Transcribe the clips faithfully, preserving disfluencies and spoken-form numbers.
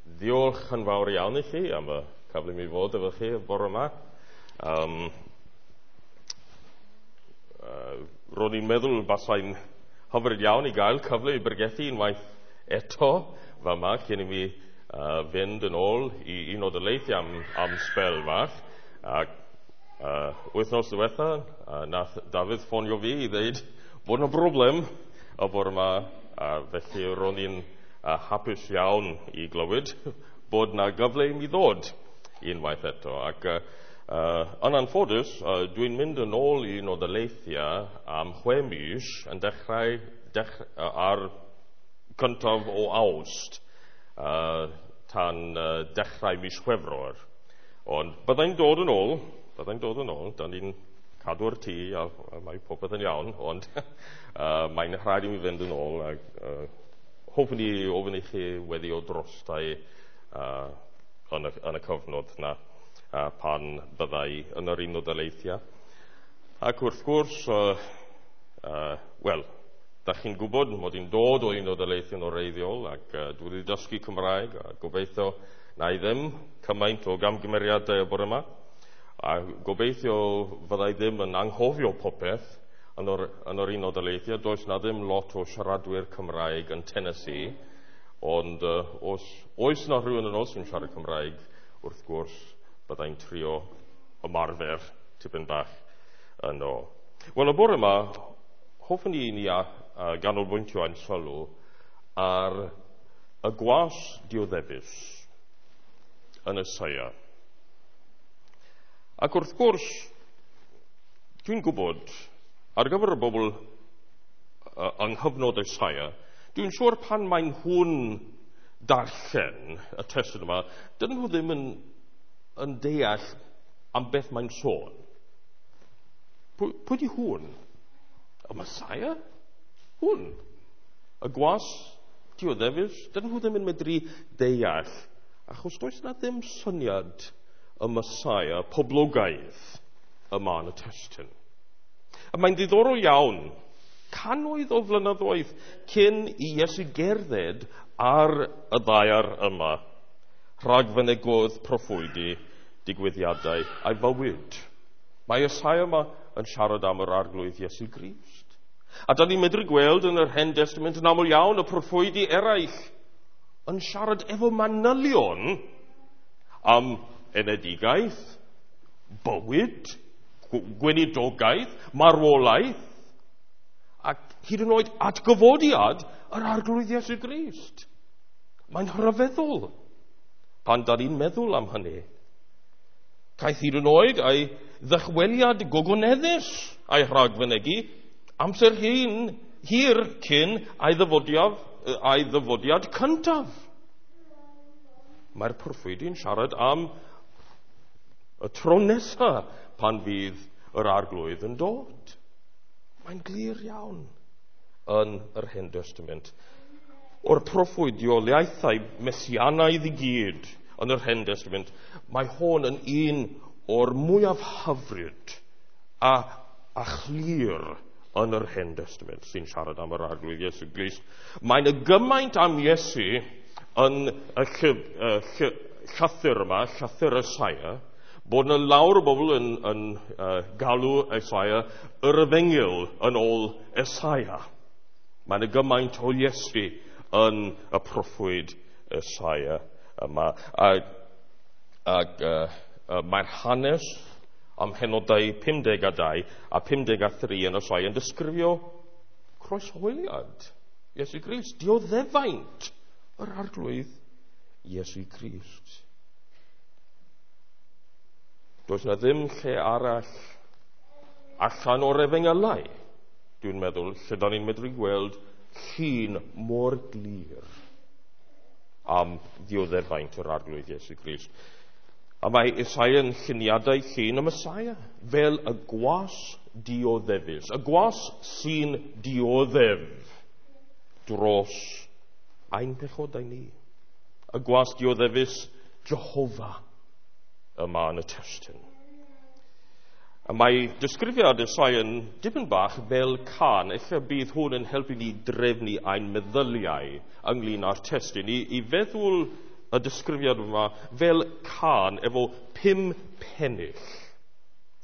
Diolch yn fawr iawn i chi am y cyfle i mi fod efo chi y bore yma. Um, uh, ro'n i'n meddwl basai'n hyfryd iawn i gael cyfle i bregethu unwaith eto fama cyn i mi uh, fynd yn ôl i un o daleithiau am, am sbel fach. Ac uh, wythnos diwetha, uh, nath Dafydd ffonio fi i ddeud bod yna broblem y bore yma, a felly ro'n i'n uh, hapus iawn i glywed bod na gyfle i mi ddod unwaith eto. Ac uh, uh, yn anffodus, uh, dwi'n mynd yn ôl i un o daleithiau am chwe mis yn dechrau dech, uh, ar cyntaf o Awst uh, tan uh, dechrau mis Chwefror. Ond byddai'n dod yn ôl, byddai'n dod yn ôl, da ni'n cadw'r tŷ a, a mae popeth yn iawn, ond uh, mae'n rhaid i mi fynd yn ôl a uh, hoffwn i ofyn i chi weddi o drostai uh, yn, y, yn y cyfnod na uh, pan byddai yn yr un o daleithiau. Ac wrth gwrs, uh, uh, wel, da chi'n gwybod mod i'n dod o un o daleithiau'n oreiddiol ac uh, dwi wedi dysgu Cymraeg a gobeithio na i ddim cymaint o gamgymeriadau y bore yma. A gobeithio fyddai ddim yn anghofio popeth yn yr, yn yr un o daleithiau. Does na ddim lot o siaradwyr Cymraeg yn Tennessee, ond uh, os oes na rhywun yn os yn siarad Cymraeg, wrth gwrs, byddai'n trio ymarfer tipyn bach yno. Wel, y bore yma, hoffwn i ni a, a ganolbwyntio ein sylw ar y gwas dioddefus yn Eseia. Ac wrth gwrs, dwi'n gwybod, ar gyfer y bobl uh, yng nghyfnod Eseia, dwi'n siŵr pan mae nhw'n darllen y testun yma, dyn nhw ddim yn, yn deall am beth mae'n sôn. Pwy, pwy di hwn? Y Messiah? Hwn? Y gwas dioddefus? Dyn nhw ddim yn medru deall, achos does na ddim syniad y Messiah poblogaidd yma yn y testun. A mae'n ddiddorol iawn, cannoedd o flynyddoedd cyn i Iesu gerdded ar y ddaear yma, rhagfynegodd proffwydi digwyddiadau a'i fywyd. Mae Eseia yma yn siarad am yr arglwydd Iesu Grist. A da ni'n medru gweld yn yr Hen Testament yn aml iawn y proffwydi eraill yn siarad efo manylion am enedigaeth, bywyd, gweinidogaeth, marwolaeth, ac hyd yn oed atgyfodiad yr arglwydd Iesu Grist. Mae'n rhyfeddol pan da ni'n meddwl am hynny. Caeth hyd yn oed ei ddychweliad gogoneddus a'i rhagfynegi amser hyn, hir cyn ei ddyfodiad, ei ddyfodiad cyntaf. Mae'r proffwydi'n siarad am y tro nesaf pan fydd yr arglwydd yn dod. Mae'n glir iawn yn yr Hen Testament. O'r proffwydioliaethau mesianaidd i gyd yn yr Hen Testament, mae hwn yn un o'r mwyaf hyfryd a, a chlir yn yr Hen Testament sy'n siarad am yr arglwydd Iesu Grist. Mae'n y gymaint am Iesu yn y llyf, y lly, llythyr yma, llythyr Eseia, bod yna lawr o bobl yn, yn uh, galw Eseia yr efengyl yn ôl Eseia. Mae yna gymaint o Iesu yn y proffwyd Eseia yma. A, ac uh, uh, mae'r hanes am henodau pum deg a dau a pum deg a thri yn Eseia yn disgrifio croeshoeliad Iesu Grist, dioddefaint yr arglwydd Iesu Grist. Does na ddim lle arall allan o'r efengylau, dwi'n meddwl, lle da ni'n medru gweld llun mor glir am ddioddefaint yr arglwydd Iesu Grist. A mae Eseia yn lluniadau llun y Messiah fel y gwas dioddefus, y gwas sy'n dioddef dros ein pechodau ni. Y gwas dioddefus Jehovah yma yn y testun. A mae disgrifiad Eseia yn dipyn bach fel can. Ella bydd hwn yn helpu ni drefnu ein meddyliau ynglyn â'r testun, i, i feddwl y disgrifiad yma fel cân efo pum pennill.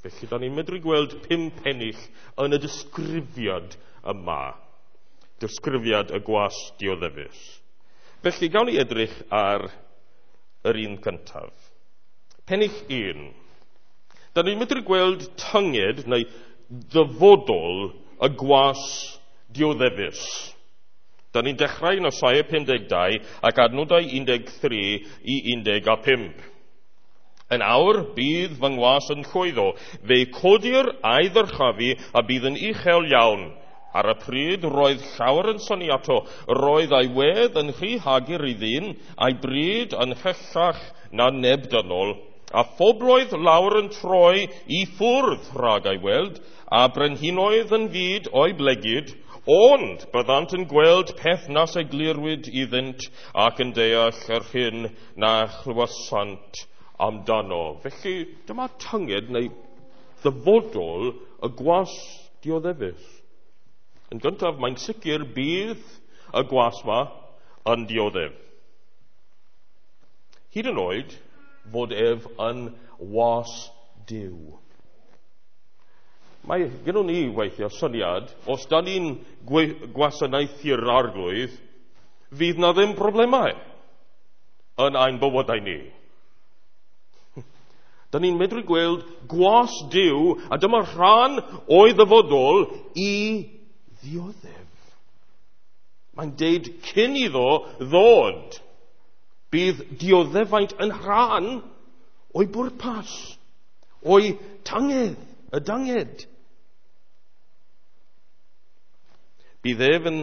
Felly, da ni'n medru gweld pum pennill yn y disgrifiad yma. Disgrifiad y gwas dioddefus. Felly, gawn ni edrych ar yr un cyntaf. Pennill un. Da ni'n medru gweld tynged neu ddyfodol y gwas dioddefus. Da ni'n dechrau yn Isaia pum deg dau ac adnodau un deg tri i un deg a pump. Yn awr, bydd fy ngwas yn llwyddo. Fe codir a'i ddyrchafu a bydd yn uchel iawn. Ar y pryd roedd llawer yn synnu ato. Roedd ei wedd yn rhy hagr i ddyn, a'i bryd yn hellach na neb dynol. A phobloedd lawr yn troi i ffwrdd rhag ei weld, a brenhinoedd yn fud o'i blegid, ond byddant yn gweld peth nas eglurwyd iddynt ac yn deall yr hyn na chlywasant amdano. Felly, dyma tynged neu ddyfodol y gwas dioddefus. Yn gyntaf, mae'n sicr bydd y gwas ma yn dioddef. Hyd yn oed fod ef yn was Duw. Mae gynnon ni weithiau syniad, os da ni'n gwasanaethu'r arglwydd, fydd na ddim problemau yn ein bywydau ni. Da ni'n medru gweld gwas Duw, a dyma rhan o'i ddyfodol i ddioddef. Mae'n deud cyn iddo ddod, bydd dioddefaint yn rhan o'i bwrpas, o'i tangedd, y danged. Bydd ef yn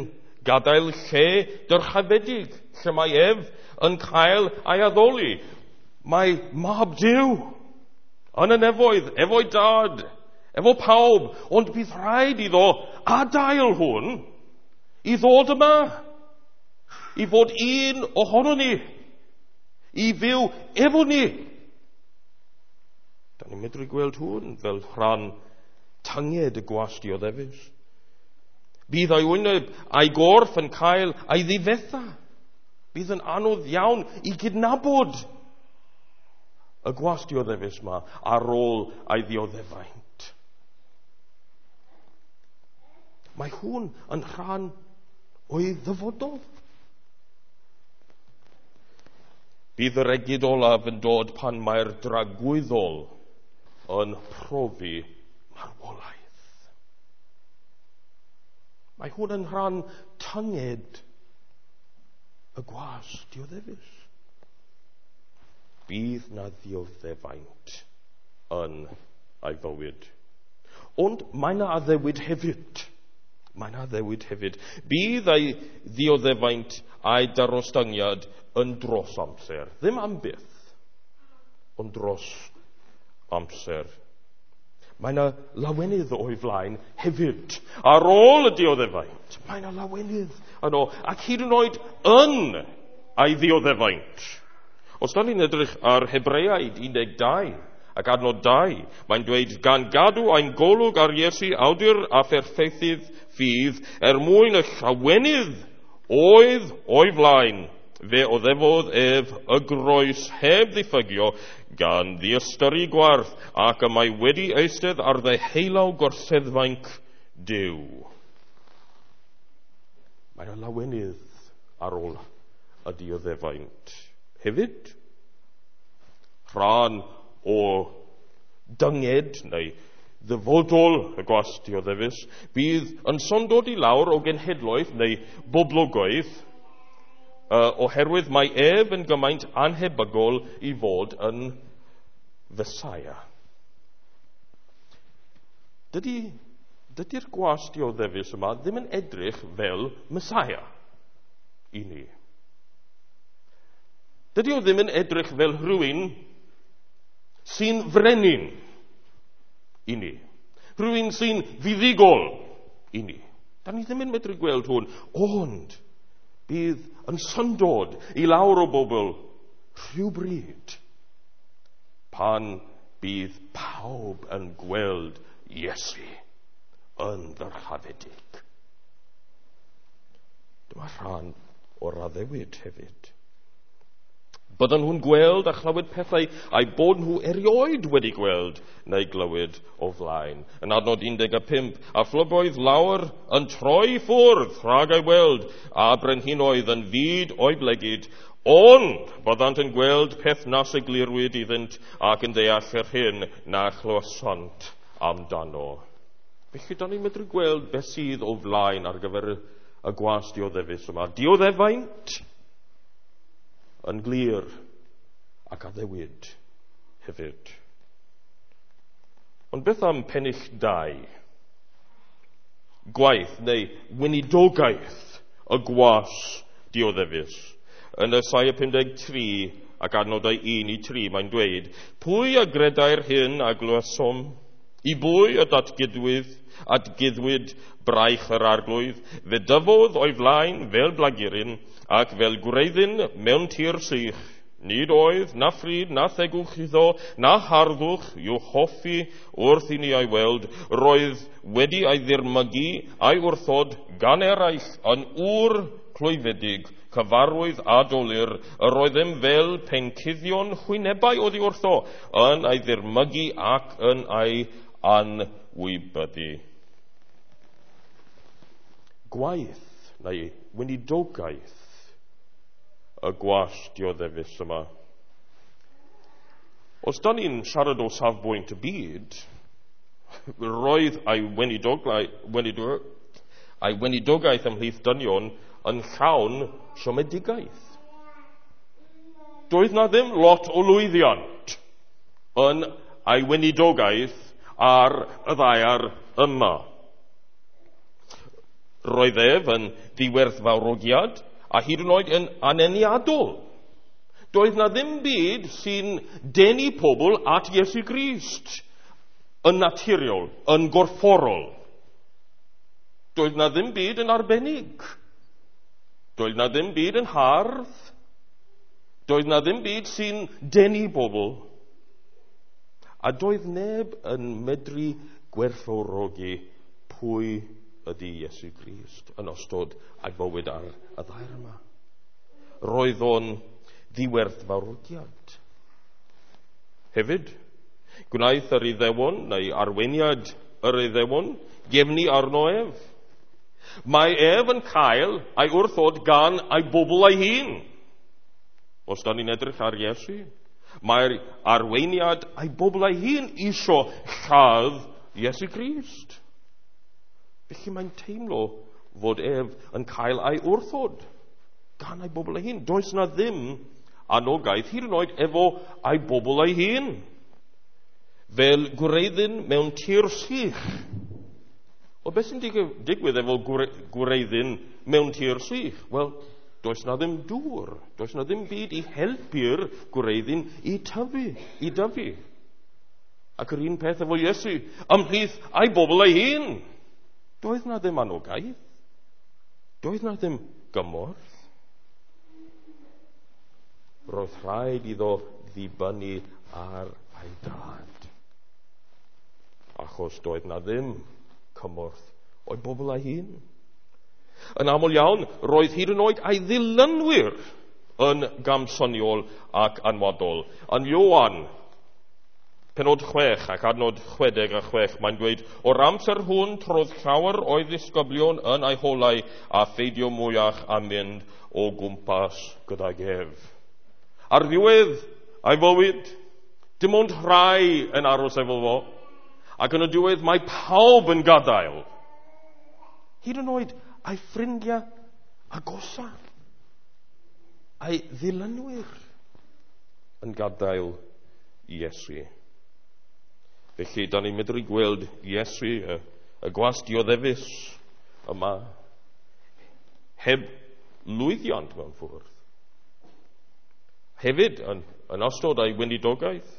gadael lle dyrchafedig, lle mae ef yn cael ei addoli. Mae mab Duw yn y nefoedd, efo'i dad, efo pawb, ond bydd rhaid iddo adael hwn i ddod yma, i fod un ohono ni, i fyw efo ni. Da ni'n medru gweld hwn fel rhan tynged y gwas dioddefus. Bydd ei wyneb a'i gorff yn cael ei ddifetha. Bydd yn anodd iawn i gydnabod y gwas dioddefus ma ar ôl ei ddioddefaint. Mae hwn yn rhan o'i ddyfodol. Bydd yr egid olaf yn dod pan mae'r dragwyddol yn profi marwolaeth. Mae hwn yn rhan tynged y gwas dioddefus. Bydd na ddioddefaint yn ei fywyd. Ond mae na addewid hefyd. Mae na addewid hefyd. Bydd ei ddioddefaint a'i darostyngiad yn dros amser. Ddim am byth, ond dros amser. Mae na lawenydd o'i flaen hefyd. Ar ôl y dioddefaint, mae na lawenydd yno, ac hyd yn oed yn ei ddioddefaint. Os da ni'n edrych ar Hebreaid un deg dau ac adnod dau, mae'n dweud, gan gadw ein golwg ar Iesu awdur a pherffeithydd ffydd, er mwyn y llawenydd oedd o'i flaen, fe oddefodd ef y groes heb ddiffygio, gan ddiystyru gwarth, ac y mae wedi eistedd ar ddeheulaw gorseddfainc Duw. Mae'n lawenydd ar ôl y dioddefaint. Hefyd, rhan o dynged neu ddyfodol y gwas dioddefus, bydd yn syndod i lawr o genhedloedd neu boblogaeth, uh, oherwydd mae ef yn gymaint anhebygol i fod yn Fesaia. Dydy, dydy'r gwas dioddefus yma ddim yn edrych fel Mesaia i ni. Dydy o ddim yn edrych fel rhywun sy'n frenin i ni. Rhywun sy'n fuddugol i ni. Da ni ddim yn medru gweld hwn, ond bydd yn syndod i lawr o bobl rhywbryd pan bydd pawb yn gweld Iesu yn ddyrchafedig. Dyma rhan o'r addewid hefyd. Byddan nhw'n gweld a chlywed pethau a'i bod nhw erioed wedi gweld neu glywed o flaen. Yn adnod un deg pump, a phlygoedd lawer yn troi ffwrdd rhag ei weld, a brenhinoedd yn fud o'i blegid, ond byddant yn gweld peth nas eglurwyd iddynt ac yn deall yr hyn na chlywasant amdano. Felly, da ni'n medru gweld beth sydd o flaen ar gyfer y gwas dioddefus yma. Dioddefaint yn glir ac addewid hefyd. Ond beth am pennill dau? Gwaith neu weinidogaeth y gwas dioddefus. Yn Esaia pum deg tri ac adnodau un i tri mae'n dweud, pwy a gredai'r hyn a glywsom? I bwy y datgudwyd, atguddwyd braich yr arglwydd? Fe dyfodd o'i flaen fel blaguryn ac fel gwreiddyn mewn tir sych. Nid oedd na phryd na thegwch iddo, na harddwch i'w hoffi wrth i ni ei weld. Roedd wedi ei ddirmygu a'i wrthod gan eraill yn ŵr clwyfedig, cyfarwydd a dolur. Yr oeddem fel pencuddion hwynebau oddi wrtho, yn ei ddirmygu ac yn ei anwybyddu. Gwaith neu weinidogaeth y gwas dioddefus yma. Os da ni'n siarad o safbwynt y byd, roedd ei weinidogaeth ymhlith dynion yn llawn siomedigaeth. Doedd na ddim lot o lwyddiant yn ei weinidogaeth ar y ddaear yma. Roedd ef yn ddiwerthfawrogiad a hyd yn oed yn aneniadol. Doedd na ddim byd sy'n denu pobl at Iesu Grist yn naturiol, yn gorfforol. Doedd na ddim byd yn arbennig. Doedd na ddim byd yn hardd. Doedd na ddim byd sy'n denu bobl. A doedd neb yn medru gwerthfawrogi pwy ydy Iesu Grist yn ystod ei bywyd ar y ddaear yma. Roedd o'n ddiwerthfawrogiad. Hefyd, gwnaeth yr Iddewon neu arweiniad yr Iddewon gefnu arno ef. Mae ef yn cael ei wrthod gan ei bobl ei hun. Os da ni'n edrych ar Iesu, mae'r arweiniad ei bobl ei hun isio lladd Iesu Grist. Felly mae'n teimlo fod ef yn cael ei wrthod gan ei bobl ei hun. Does na ddim anogaeth hyd yn oed efo ei bobl ei hun. Fel gwreiddyn mewn tir sych. O beth sy'n digwydd efo gwreiddyn mewn tir sych? Wel, does na ddim dŵr. Does na ddim byd i helpu'r gwreiddyn i tyfu, i dyfu. Ac yr un peth efo Iesu, ymhlith ei bobl ei hun. Doedd na ddim anogaeth. Doedd na ddim gymorth. Roedd rhaid iddo ddibynnu ar ei dad. Achos doedd na ddim cymorth o'i bobl ei hun. Yn aml iawn, roedd hyd yn oed ei ddilynwyr yn gamsyniol ac anwadol. Yn Ioan, penod chwech ac adnod chwedeg a chwech, mae'n dweud, o'r amser hwn trodd llawer o'i ddisgyblion yn ei holau a pheidio mwyach a mynd o gwmpas gydag ef. Ar ddiwedd ei fywyd, dim ond rhai yn aros efo fo, ac yn y diwedd mae pawb yn gadael. Hyd yn oed ei ffrindiau agosa, ei ddilynwyr yn gadael Iesu. Felly, da ni'n medru gweld Iesu, y, y gwas dioddefus yma, heb lwyddiant mewn ffwrdd. Hefyd, yn, yn ystod ei weinidogaeth,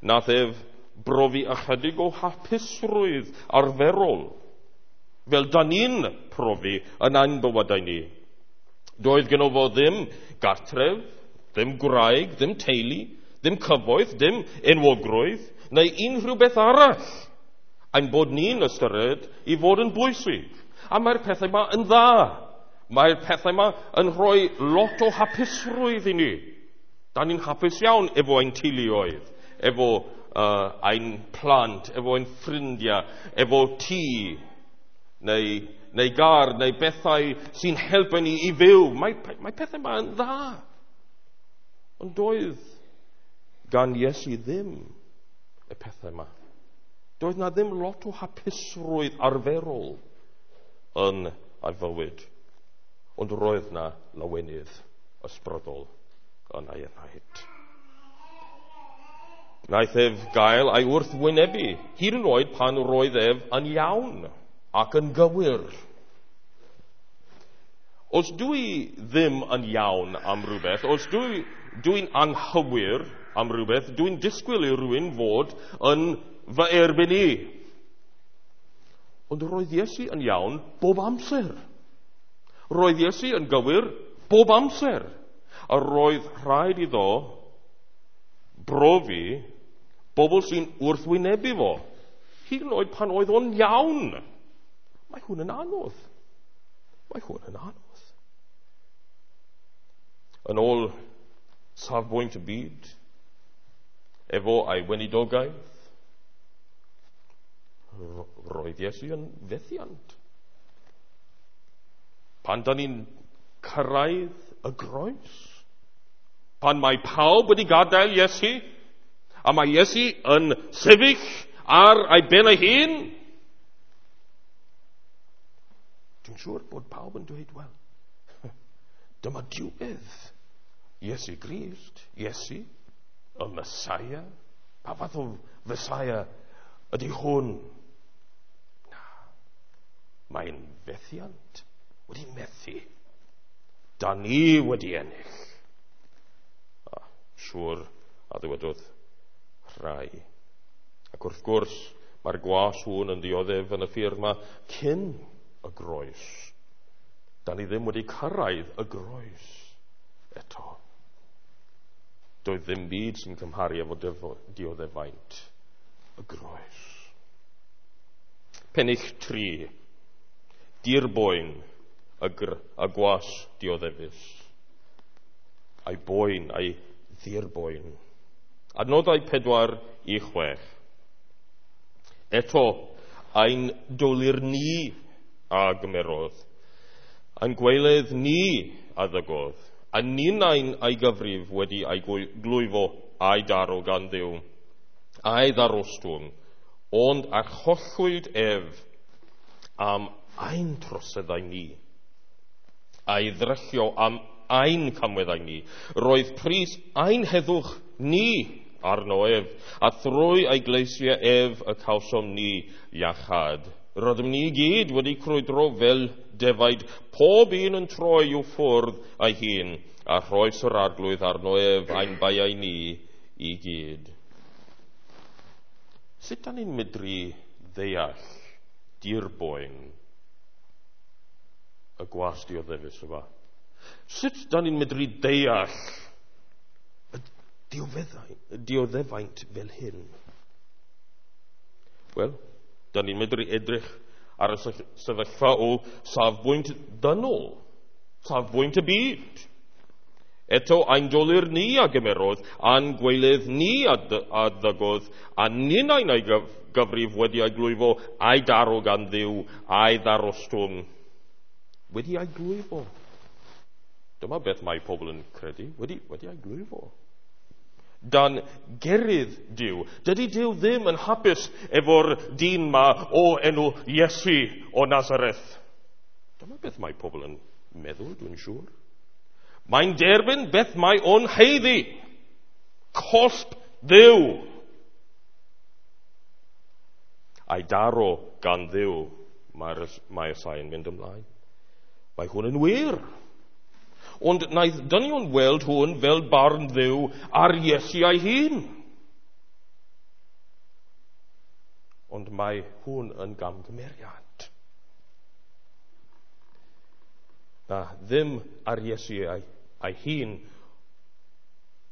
nath ef brofi ychydig o hapusrwydd arferol, fel da ni'n profi yn ein bywydau ni. Doedd gynno fo ddim gartref, ddim gwraig, ddim teulu, ddim cyfoeth, ddim enwogrwydd, neu unrhyw beth arall ein bod ni'n ystyried i fod yn bwysig. A mae'r pethau yma yn dda. Mae'r pethau yma yn rhoi lot o hapusrwydd i ni. Da ni'n hapus iawn efo ein teuluoedd, efo uh, ein plant, efo ein ffrindiau, efo tŷ, neu, neu gar, neu bethau sy'n helpu ni i fyw. Mae, mae pethau yma yn dda. Ond doedd gan Iesu ddim y pethau yma. Doedd na ddim lot o hapusrwydd arferol yn ei fywyd. Ond roedd na lawenydd ysbrydol yn ei enaid. Wnaeth ef gael ei wrthwynebu, hyd yn oed pan roedd ef yn iawn ac yn gywir. Os dwi ddim yn iawn am rhywbeth, os dwi, dwi'n anghywir am rhywbeth, dwi'n disgwyl i rhywun fod yn fy erbyn i. Ond roedd Iesu yn iawn bob amser. Roedd Iesu yn gywir bob amser. A roedd rhaid iddo brofi bobl sy'n wrthwynebu fo. Hyd yn oed pan oedd o'n iawn. Mae hwn yn anodd. Mae hwn yn anodd. Yn ôl safbwynt y byd, efo ei weinidogaeth, roedd Iesu yn fethiant. Pan da ni'n cyrraedd y groes, pan mae pawb wedi gadael Iesu, a mae Iesu yn sefyll ar ei ben ei hun, dwi'n siŵr bod pawb yn dweud, wel, dyma diwedd Iesu Grist, Iesu, y Messiah. Pa fath o Messiah ydy hwn? Na, mae'n fethiant, wedi methu. Da ni wedi ennill. A, siŵr a ddywedodd rhai. Ac wrth gwrs, mae'r gwas hwn yn dioddef yn y ffyrdd yma cyn y groes. Da ni ddim wedi cyrraedd y groes eto. Doedd ddim byd sy'n cymharu efo dioddefaint y groes. Pennill tri. Dirboen y, gr- y gwas dioddefus. A'i boen, a'i ddirboen. Adnodau pedwar i chwech. Eto, ein dolur ni a gymerodd, ein gweledd ni a ddygodd, a ninnau'n ei gyfrif wedi ei glwyfo a'i daro gan Dduw, a'i ddarostwng, ond archollwyd ef am ein troseddau ni, a'i ddryllio am ein camweddau ni. Roedd pris ein heddwch ni arno ef, a thrwy ei gleisiau ef y cawsom ni iachâd. Rydym ni gyd wedi crwydro fel defaid, pob un yn troi i'w ffwrdd ei hun, a rhoes yr arglwydd arno ef ein baiau ni i gyd. Sut dan ni'n medru ddeall dirboen y gwas dioddefus yma? Sut dan ni'n medru deall y dioddefaint fel hyn? Wel, da ni'n medru edrych ar y sefyllfa o safbwynt dynol, safbwynt y byd. Eto, ein dolur ni a gymerodd, a'n gweilydd ni a ddygodd, a ninnau'n ei gyfrif wedi ei glwyfo, a'i daro gan Dduw, a'i ddarostwng. Wedi ei glwyfo. Dyma beth mae pobl yn credu, wedi, wedi ei glwyfo. Dan gerydd Duw. Dydy Duw ddim yn hapus efo'r dyn ma o enw Iesu o Nazareth. Dyma beth mae pobl yn meddwl, dwi'n siŵr. Mae'n derbyn beth mae o'n haeddu. Cosb Dduw. A'i daro gan Dduw, mae'r mae Esai yn mynd ymlaen. Mae hwn yn wir. Ond wnaeth dynion weld hwn fel barn Dduw ar Iesu ei hun. Ond mae hwn yn gamgymeriad. Na, ddim ar Iesu ei, ei hun,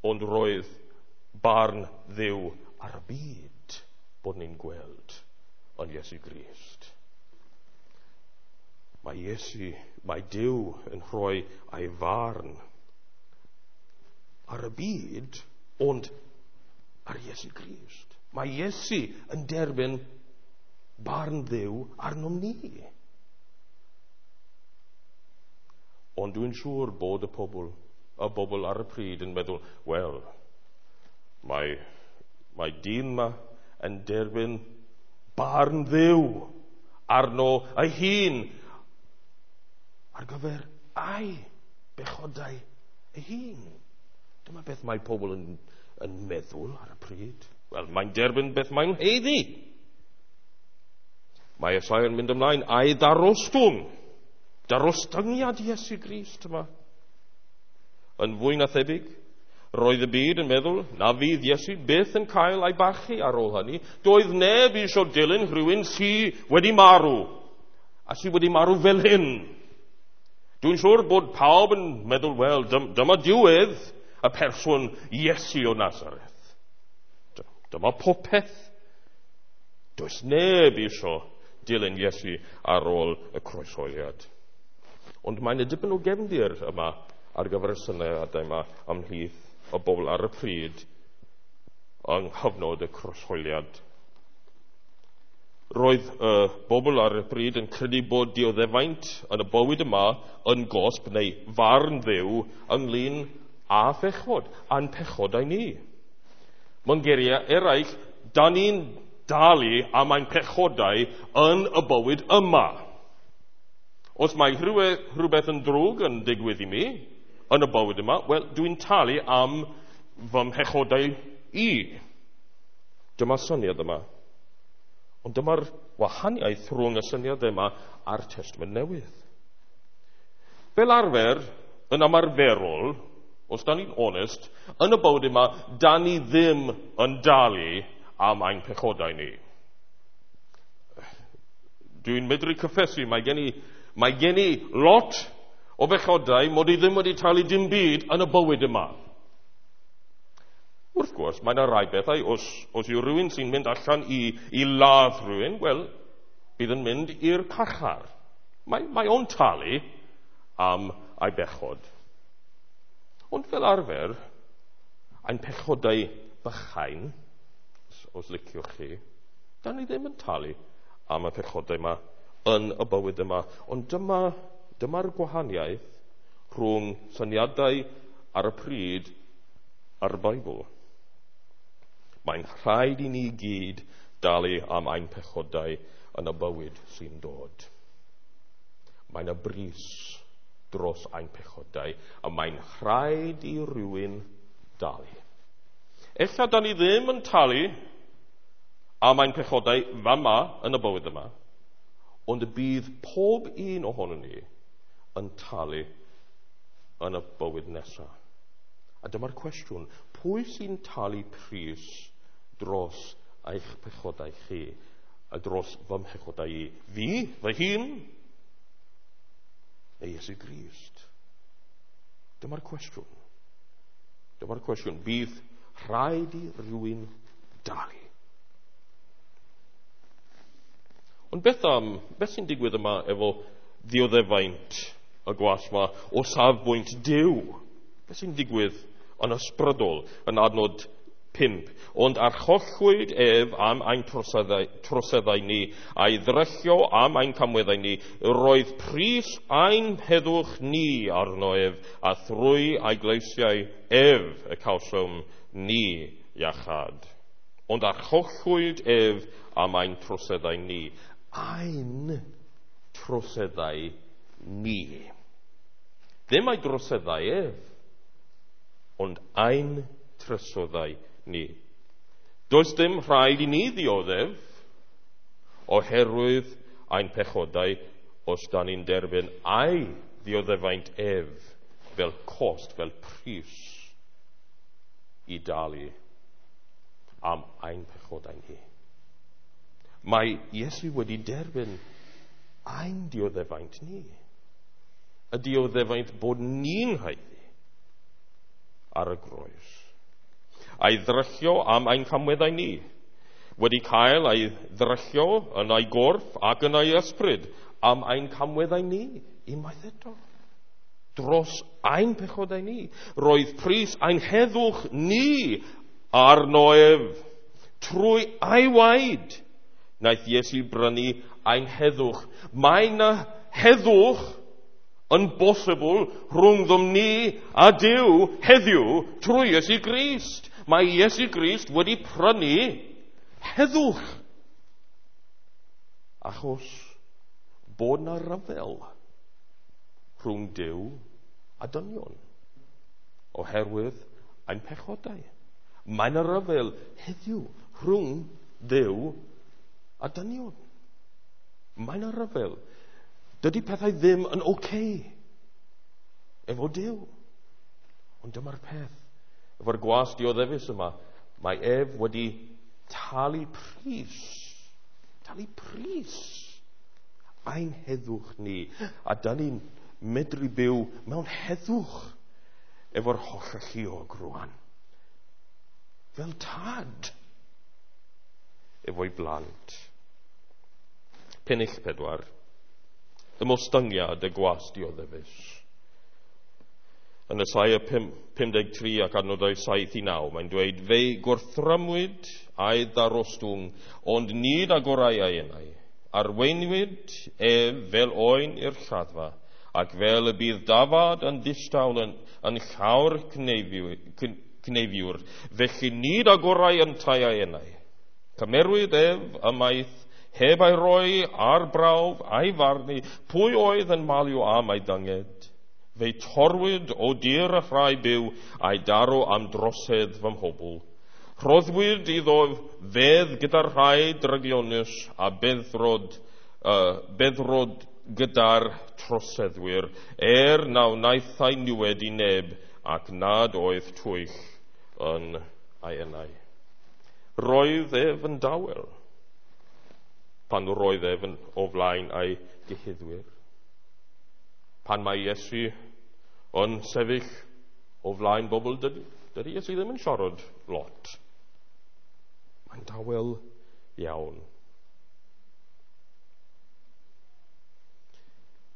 ond roedd barn Dduw ar y byd bod ni'n gweld yn Iesu Grist. Mae Iesu, mae Duw yn rhoi ei farn ar y byd, ond ar Iesu Grist. Mae Iesu yn derbyn barn Dduw arnom ni. Ond dwi'n siŵr bod y pobl, y bobl ar y pryd yn meddwl, wel, mae, mae dyn yma yn derbyn barn Dduw arno ei hun ar gyfer ei bechodau ei hun. Dyma beth mae pobl yn, yn meddwl ar y pryd. Wel, mae'n derbyn beth mae'n haeddu. Mae Esaia yn mynd ymlaen a'i ddarostwng. Darostyngiad Iesu Grist yma. Yn fwy na thebyg, roedd y byd yn meddwl na fydd Iesu byth yn cael ei barchu ar ôl hynny. Doedd neb eisiau dilyn rhywun sydd wedi marw, a sydd wedi marw fel hyn. Dwi'n siŵr bod pawb yn meddwl, wel, dyma diwedd y person Iesu o Nazareth. Dyma popeth. Does neb eisiau dilyn Iesu ar ôl y croeshoeliad. Ond mae'n y dipyn o gefndir yma ar gyfer y syniadau yma ymhlith y bobl ar y pryd yng nghyfnod y croeshoeliad. Roedd y bobl ar y pryd yn credu bod dioddefaint yn y bywyd yma yn gosb neu farn Dduw ynglyn â phechod, a'n pechodau ni. Mewn geiriau eraill, da ni'n dalu am ein pechodau yn y bywyd yma. Os mae rhywbeth yn drwg yn digwydd i mi yn y bywyd yma, wel, dwi'n talu am fy mhechodau i. Dyma'r syniad yma. Ond dyma'r wahaniaeth rhwng y syniad yma a'r Testament Newydd. Fel arfer, yn ymarferol, os da ni'n onest, yn y bywyd yma, da ni ddim yn dalu am ein pechodau ni. Dwi'n medru cyffesu, mae gen i, mae gen i lot o bechodau mod i ddim wedi talu dim byd yn y bywyd yma. Wrth gwrs, mae yna rai bethau, os, os yw rhywun sy'n mynd allan i, i ladd rhywun, wel, bydd yn mynd i'r carchar. Mae, mae o'n talu am ei bechod. Ond fel arfer, ein pechodau bychain, os, os liciwch chi, da ni ddim yn talu am y pechodau yma yn y bywyd yma. Ond dyma, dyma'r gwahaniaeth rhwng syniadau ar y pryd a'r Beibl. Mae'n rhaid i ni gyd dalu am ein pechodau yn y bywyd sy'n dod. Mae'n y bris dros ein pechodau, a mae'n rhaid i rywun dalu. Ella da ni ddim yn talu am ein pechodau fama yn y bywyd yma, ond y bydd pob un ohonon ni yn talu yn y bywyd nesaf. A dyma'r cwestiwn, pwy sy'n talu pris dros eich pechodau chi a dros fy mhechodau i? Fi, fy hun, neu Iesu Grist? Dyma'r cwestiwn. Dyma'r cwestiwn. Bydd rhaid i rywun dalu. Ond beth am, beth sy'n digwydd yma efo ddioddefaint y gwas yma o safbwynt Duw? Beth sy'n digwydd yn ysbrydol yn adnod pump? Ond archollwyd ef am ein troseddau, troseddau ni, a'i ddryllio am ein camweddau ni. Roedd pris ein heddwch ni arno ef, a thrwy ei gleisiau ef y cawsom ni iachâd. Ond archollwyd ef am ein troseddau ni. Ein troseddau ni. Ddim ei droseddau ef, ond ein troseddau ni. Does dim rhaid i ni ddioddef oherwydd ein pechodau os da ni'n derbyn ei ddioddefaint ef fel cost, fel pris i dalu am ein pechodau ni. Mae Iesu wedi derbyn ein dioddefaint ni. Y dioddefaint bod ni'n haeddu ar y groes. A'i ddryllio am ein camweddau ni, wedi cael ei ddryllio yn ei gorff ac yn ei ysbryd am ein camweddau ni, unwaith eto. dros ein pechodau ni. Roedd pris ein heddwch ni arno ef. Trwy ei waed wnaeth Iesu brynu ein heddwch. Mae yna heddwch yn bosibl rhwngddom ni a Duw heddiw trwy Iesu Grist. Mae Iesu Grist wedi prynu heddwch. Achos bod na ryfel rhwng Duw a dynion oherwydd ein pechodau. Mae yna ryfel heddiw rhwng Duw a dynion. Mae yna ryfel. Dydy pethau ddim yn oce okay efo Duw. Ond dyma'r peth. Efo'r gwas dioddefus yma, mae ef wedi talu pris. Talu pris. Ein heddwch ni. A da ni'n medru byw mewn heddwch efo'r Hollalluog rwan. Fel tad efo'i blant. Pennill pedwar. Ymostyngiad y gwas dioddefus. Yn Esaia pum deg tri ac adnodau saith i naw, mae'n dweud, fe'i gwrthrymwyd a'i ddarostwng, ond nid agorau ei enau. Arweinwyd ef fel oen i'r lladdfa, ac fel y bydd dafad yn ddistaw yn, yn llawr cneifiwr, felly nid agorau yntau ei enau. Cymerwyd ef ymaith, heb ei roi ar brawf a'i farnu, pwy oedd yn malio am ei dynged. Fe'i torwyd o dir y rhai byw a'i daro am drosedd fy mhobl. Rhoddwyd iddo fedd gyda'r rhai drygionus a beddrod, uh, beddrod gyda'r troseddwyr, er na wnaethai niwed i neb ac nad oedd twyll yn ei enau. Roedd ef yn dawel pan roedd ef yn o flaen ei gyhuddwyr. Pan mae Iesu yn sefyll o flaen bobl, dydy, dydy Iesu ddim yn siarad lot. Mae'n dawel iawn.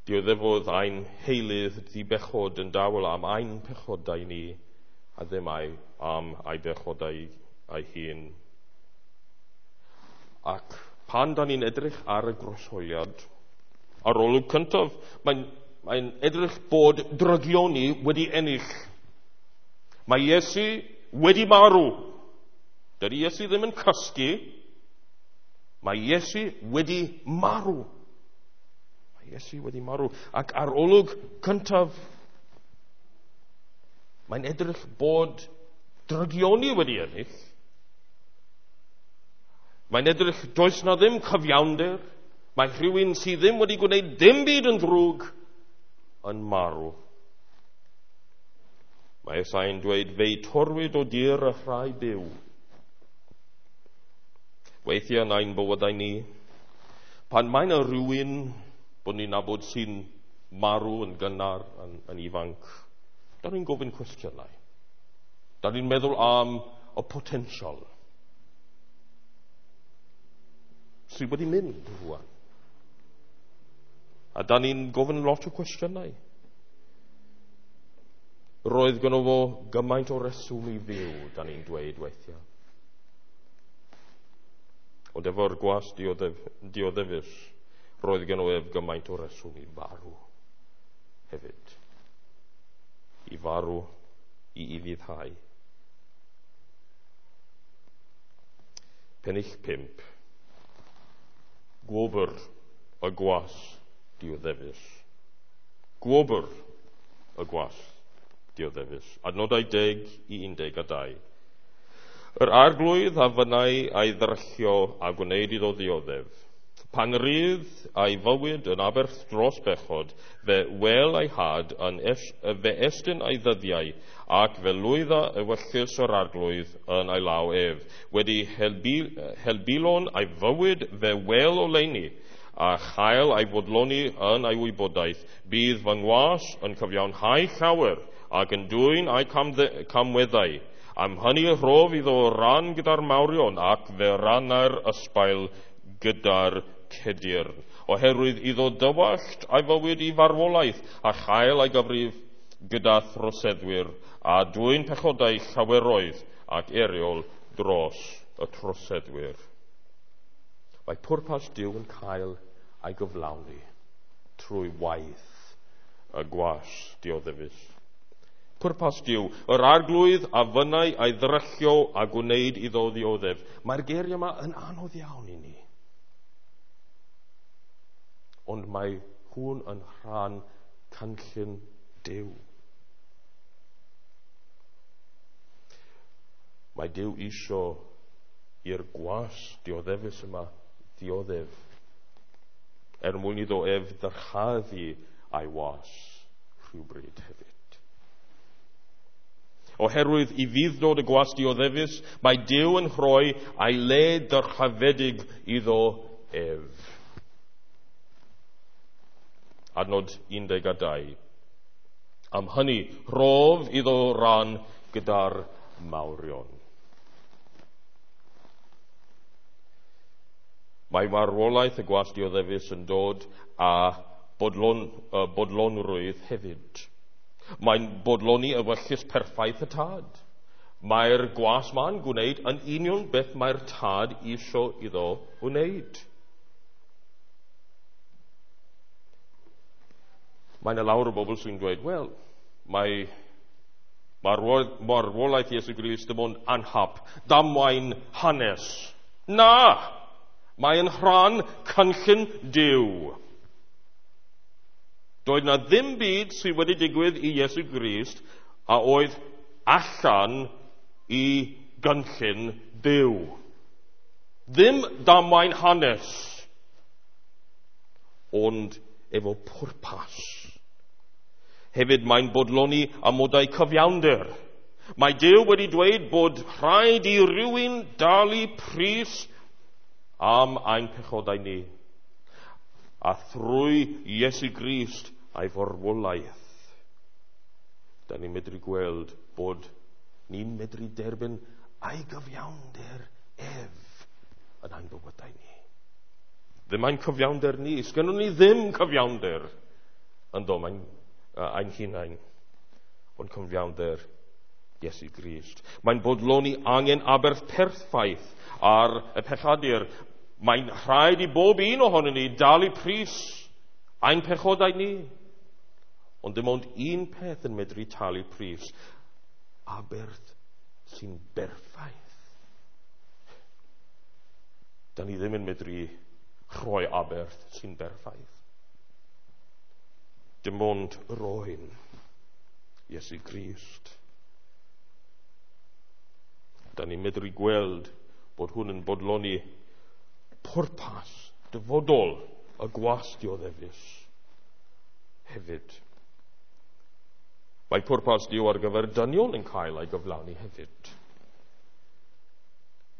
Dioddefodd ein heilydd dibechod yn dawel am ein pechodau ni, a ddim ei, am ei bechodau ei hun. Ac pan da ni'n edrych ar y groeshoeliad, ar olwg cyntaf, mae'n mae'n edrych bod drygioni wedi ennill. Mae Iesu wedi marw. Dydy Iesu ddim yn cysgu. Mae Iesu wedi marw. Mae Iesu wedi marw. Ac ar olwg cyntaf, mae'n edrych bod drygioni wedi ennill. Mae'n edrych does na ddim cyfiawnder. Mae rhywun sydd ddim wedi gwneud dim byd yn ddrwg yn marw. Mae Esai'n dweud, fe'i torwyd o dir y rhai byw. Weithiau yn ein bywydau ni, pan mae yna rhywun bod ni'n nabod sy'n marw yn gynnar, yn, yn ifanc, da ni'n gofyn cwestiynau. Da ni'n meddwl am y potensial sydd wedi mynd rwan. A da ni'n gofyn lot o cwestiynau. Roedd gynno fo gymaint o reswm i fyw, da ni'n dweud weithiau. Ond efo'r gwas dioddef, dioddefus, roedd gynno ef gymaint o reswm i farw hefyd. I farw, i ufuddhau. Pennill pump. Gwobr y gwas dioddefus. Gwobr y gwas dioddefus. Adnodau deg i undeg a dau. Yr arglwydd a fynnai a'i ddryllio a gwneud iddo ddioddef. Pan rydd a'i fywyd yn aberth dros bechod, fe wel ei had yn es, fe estyn ei ddyddiau, ac fe lwydda ewyllys yr arglwydd yn ei law ef. Wedi helbil, helbilon ei fywyd fe wel oleuni, a chael ei fodloni yn ei wybodaeth. Bydd fy ngwas yn cyfiawnhau llawer ac yn dwyn ei camweddau. Am hynny rhof iddo ran gyda'r mawrion ac fe ranna'r ysbail gyda'r cedyrn. Oherwydd iddo dywallt ei fywyd i farwolaeth a chael ei gyfrif gyda throseddwyr a dwyn pechodau llaweroedd ac eiriol dros y troseddwyr. Mae pwrpas Duw yn cael ei gyflawni trwy waith y gwas dioddefus. Pwrpas Duw, yr arglwydd a fynnai ei ddrychio a gwneud iddo ddioddef. Mae'r geiriau yma yn anodd iawn i ni. Ond mae hwn yn rhan cynllun Duw. Mae Duw isio i'r gwas dioddefus yma ddioddef, er mwyn iddo ef ddyrchafu a'i was rhywbryd hefyd. Oherwydd i fudd-dod y gwas dioddefus, mae Duw yn rhoi a'i le dyrchafedig iddo ef. Adnod un deg a dau. Am hynny, rhof iddo ran gyda'r mawrion. Mae marwolaeth y gwas dioddefus yn dod â bodlon, uh, bodlonrwydd hefyd. Mae'n bodloni ewyllys perffaith y tad. Mae'r gwas ma'n gwneud yn union beth mae'r tad isio iddo wneud. Mae yna lawer o bobl sy'n dweud, wel, mae marwolaeth Iesu Grist dim ond anhap, damwain hanes. Na! Mae'n rhan cynllun Duw. Doedd na ddim byd sydd wedi digwydd i Iesu Grist a oedd allan i gynllun Duw. Ddim damwain hanes, ond efo pwrpas. Hefyd mae'n bodloni amodau cyfiawnder. Mae Duw wedi dweud bod rhaid i rywun dalu pris am ein pechodau ni, a thrwy Iesu Grist a'i farwolaeth, da ni'n medru gweld bod ni'n medru derbyn a'i gyfiawnder ef yn ein bywydau ni. Ddim ein cyfiawnder ni, sgynnon ni ddim cyfiawnder ynddo mae'n ein hunain, ond cyfiawnder Iesu Grist. Mae'n bodloni angen aberth perffaith ar y pechadur. Mae'n rhaid i bob un ohonon ni dalu pris ein pechodau ni. Ond dim ond un peth yn medru talu pris, aberth sy'n berffaith. Da ni ddim yn medru rhoi aberth sy'n berffaith. Dim ond roen Iesu Grist. Da ni'n medru gweld bod hwn yn bodloni pwrpas dyfodol y gwas dioddefus hefyd. Mae pwrpas Duw ar gyfer dynion yn cael ei gyflawni hefyd.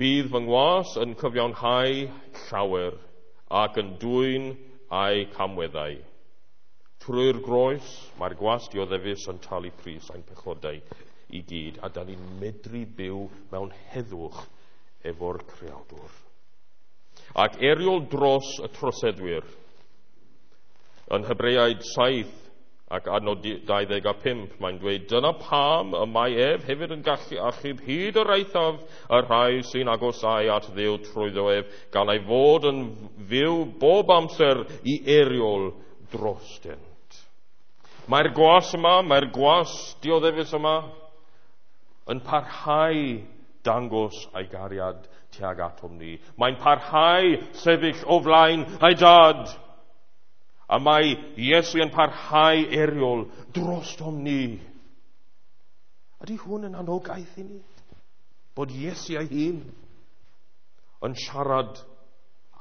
Bydd fy ngwas yn cyfiawnhau llawer ac yn dwyn ei camweddau. Trwy'r groes, mae'r gwas dioddefus yn talu pris ein pechodau i gyd, a da ni'n medru byw mewn heddwch efo'r Creawdwr. Ac eiriol dros y troseddwyr. Yn Hebreaid saith ac adnod dau ddeg a pump, mae'n dweud, dyna pam y mae ef hefyd yn gallu achub hyd yr eithaf y rhai sy'n agosau at Dduw trwyddo ef, gan ei fod yn fyw bob amser i eiriol drostynt. Mae'r gwas yma, mae'r gwas dioddefus yma, yn parhau dangos ei gariad tuag atom ni. Mae'n parhau sefyll o flaen ei dad. A mae Iesu yn parhau eiriol drostom ni. Ydy hwn yn anogaeth i ni? Bod Iesu ei hun yn siarad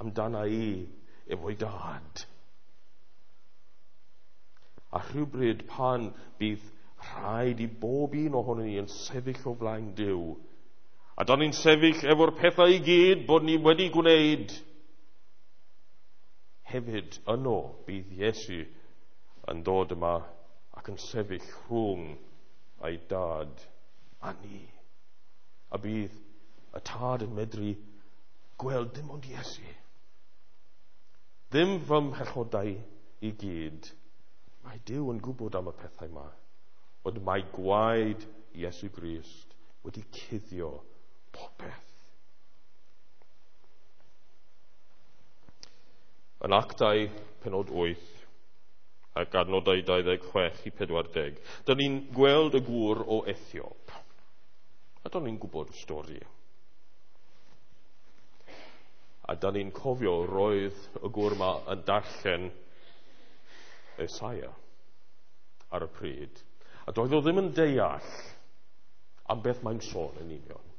amdana i efo'i dad. A rhywbryd pan bydd rhaid i bob un ohonon ni yn sefyll o flaen Duw, a da ni'n sefyll efo'r pethau i gyd bod ni wedi gwneud, hefyd yno bydd Iesu yn dod yma ac yn sefyll rhwng ei dad a ni. A bydd y tad yn medru gweld dim ond Iesu. Ddim fy mhechodau i gyd. Mae Duw yn gwybod am y pethau yma, Ond mae gwaed Iesu Grist wedi cuddio popeth. Yn Actau penod wyth ac adnodau dau ddeg chwech i pedwar deg, dyn ni'n gweld y gŵr o Ethiop. A dyn ni'n gwybod y stori. A dyn ni'n cofio roedd y gŵr yma yn darllen Esaia ar y pryd. A doedd o ddim yn deall am beth mae'n sôn yn union.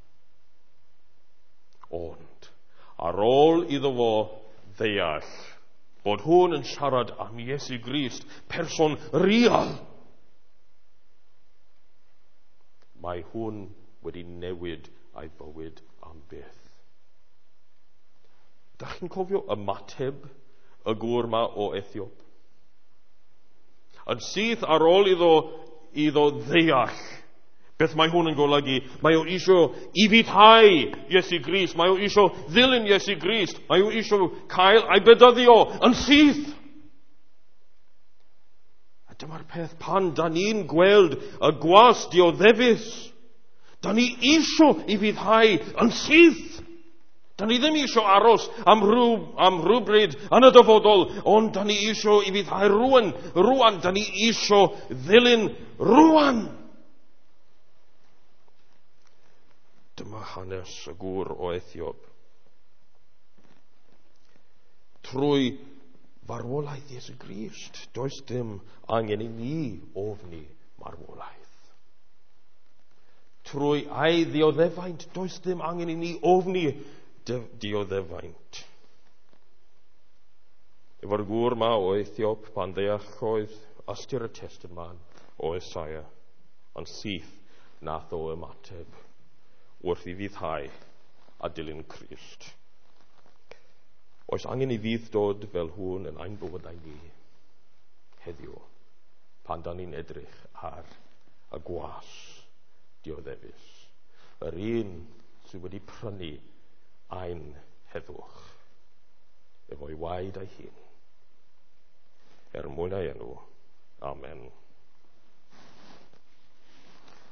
Ond, ar ôl iddo fo ddeall bod hwn yn siarad am Iesu Grist, person real, mae hwn wedi newid ei bywyd am byth. Dach chi'n cofio ymateb y gŵr ma o Ethiop? Yn syth ar ôl iddo, iddo ddeall beth mae hwn yn golygu, mae o isio ufuddhau Iesu Grist, mae o isio ddilyn Iesu Grist, mae o isio cael ei bedyddio yn syth. A dyma'r peth, pan da ni'n gweld y gwas dioddefus, da ni isio ufuddhau yn syth. Da ni ddim isio aros am, rhyw, am rhywbryd yn y dyfodol, ond da ni isio ufuddhau rwan, rwan, da ni isio ddilyn rwan. Dyma hanes y gŵr o Ethiop. Trwy farwolaeth Iesu Grist, does dim angen i ni ofni marwolaeth. Trwy ei ddioddefaint, does dim angen i ni ofni dioddefaint. Efo'r gŵr ma o Ethiop, pan ddeallodd ystyr y testun ma o Esaia, ond syth nath o ymateb wrth i fuddhau a dilyn Crist. Oes angen i fydd dod fel hwn yn ein bywydau ni heddiw, pan da ni'n edrych ar y gwas dioddefus, yr un sydd wedi prynu ein heddwch efo'i waed ei hun. Er mwyn ei enw. Amen.